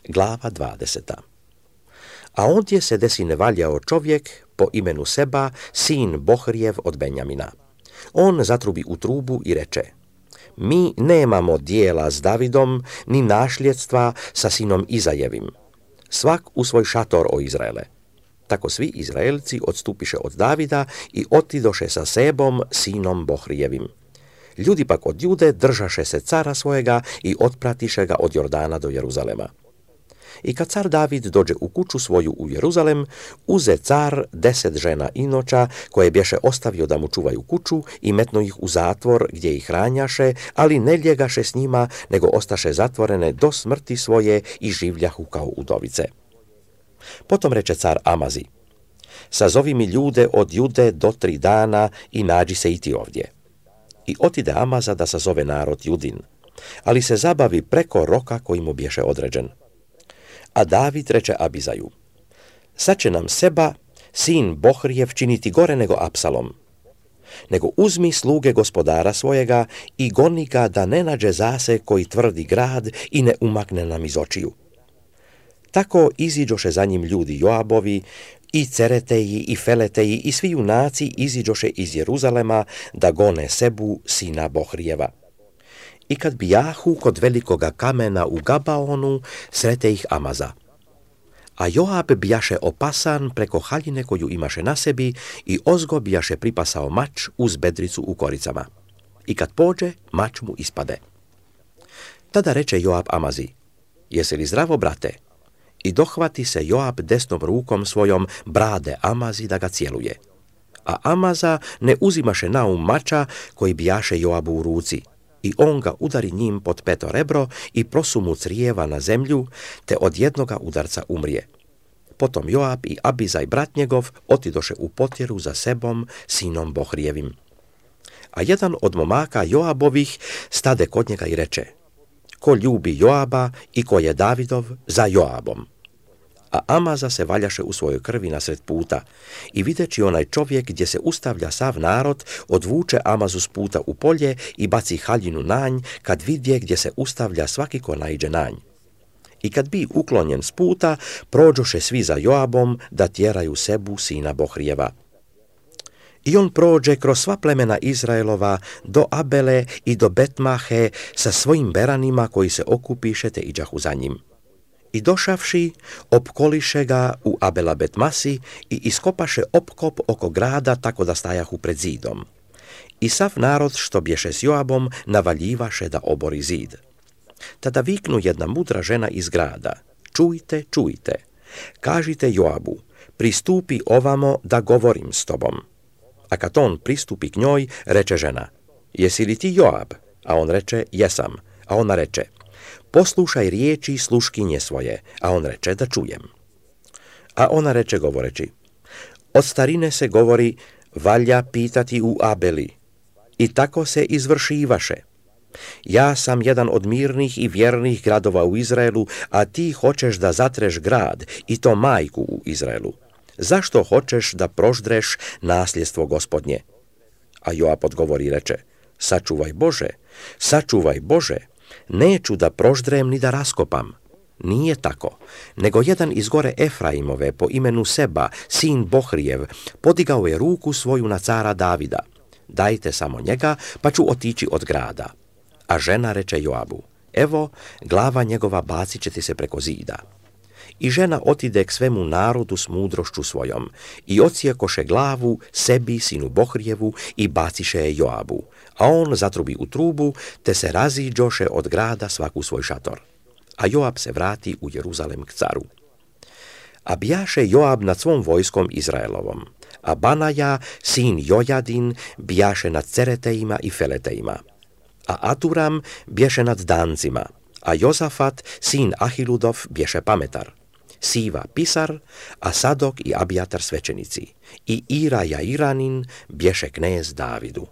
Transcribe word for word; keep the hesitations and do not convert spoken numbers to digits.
Glava dvadeseta. A ondje se desine valjao čovjek po imenu Seba, sin Bohrijev od Benjamina. On zatrubi u trubu i reče: Mi nemamo dijela s Davidom, ni našljedstva sa sinom Izajevim. Svak u svoj šator, o Izraele. Tako svi Izraelci odstupiše od Davida i otidoše sa Sebom, sinom Bohrijevim. Ljudi pak od Jude držaše se cara svojega i otpratiše ga od Jordana do Jeruzalema. I kad car David dođe u kuću svoju u Jeruzalem, uze car deset žena inoća, koje bješe ostavio da mu čuvaju kuću, i metno ih u zatvor gdje ih hranjaše, ali ne ljegaše s njima, nego ostaše zatvorene do smrti svoje i življahu kao udovice. Potom reče car Amazi: Sazovi mi ljude od Jude do tri dana i nađi se i ti ovdje. I otide Amaza da sazove narod Judin, ali se zabavi preko roka koji mu bješe određen. A David reče Abizaju: Sad će nam Seba, sin Bohrijev, činiti gore nego Apsalom. Nego uzmi sluge gospodara svojega i goni ga da ne nađe zase koji tvrdi grad i ne umakne nam iz očiju. Tako iziđoše za njim ljudi Joabovi, i Cereteji, i Feleteji, i svi junaci iziđoše iz Jeruzalema da gone Sebu, sina Bohrijeva. I kad bijahu kod velikoga kamena u Gabaonu, srete ih Amaza. A Joab bijaše opasan preko haljine koju imaše na sebi i ozgo bijaše pripasao mač uz bedricu u koricama. I kad pođe, mač mu ispade. Tada reče Joab Amazi: Jesi li zdravo, brate? I dohvati se Joab desnom rukom svojom brade Amazi da ga cijeluje. A Amaza ne uzimaše naum mača koji bijaše Joabu u ruci, i on ga udari njim pod peto rebro i prosu mu crijeva na zemlju, te od jednoga udarca umrije. Potom Joab i Abizaj brat njegov otidoše u potjeru za Sebom, sinom Bohrijevim. A jedan od momaka Joabovih stade kod njega i reče: Ko ljubi Joaba i ko je Davidov, za Joabom. A Amaza se valjaše u svojoj krvi nasred puta, i videći onaj čovjek gdje se ustavlja sav narod, odvuče Amazu s puta u polje i baci haljinu nanj, kad vidje gdje se ustavlja svaki ko naiđe nanj. I kad bi uklonjen s puta, prođoše svi za Joabom da tjeraju Sebu, sina Bohrijeva. I on prođe kroz sva plemena Izraelova do Abele i do Betmahe sa svojim beranima koji se okupiše te iđahu za njim. I došavši, opkoliše ga u Abela Betmasi i iskopaše opkop oko grada tako da stajahu pred zidom. I sav narod što bješe s Joabom navaljivaše da obori zid. Tada viknu jedna mudra žena iz grada: Čujte, čujte, kažite Joabu: Pristupi ovamo da govorim s tobom. A kad on pristupi k njoj, reče žena: Jesi li ti Joab? A on reče: Jesam. A ona reče: Poslušaj riječi sluškinje svoje. A on reče: Da čujem. A ona reče govoreći: Od starine se govori, valja pitati u Abeli. I tako se izvršivaše. Ja sam jedan od mirnih i vjernih gradova u Izraelu, a ti hoćeš da zatreš grad, i to majku u Izraelu. Zašto hoćeš da proždreš nasljedstvo Gospodnje? A Joab odgovori i reče: Sačuvaj Bože, sačuvaj Bože, neću da proždrem ni da raskopam. Nije tako, nego jedan iz gore Efraimove po imenu Seba, sin Bohrijev, podigao je ruku svoju na cara Davida. Dajte samo njega, pa ću otići od grada. A žena reče Joabu: Evo, glava njegova bacit će ti se preko zida. I žena otide k svemu narodu s mudrošću svojom, i ocijekoše glavu Sebi, sinu Bohrijevu, i baciše je Joabu, a on zatrubi u trubu, te se raziđoše od grada svaku svoj šator. A Joab se vrati u Jeruzalem k caru. A bijaše Joab nad svom vojskom Izraelovom, a Banaja, sin Jojadin, bijaše nad Ceretejima i Feletejima, a Aduram bješe nad Dancima, a Jozafat, sin Ahiludov, bješe pametar, Siva pisar, a Sadok i Abijatar svećenici, i Ira Jairanin bješe knez Davidu.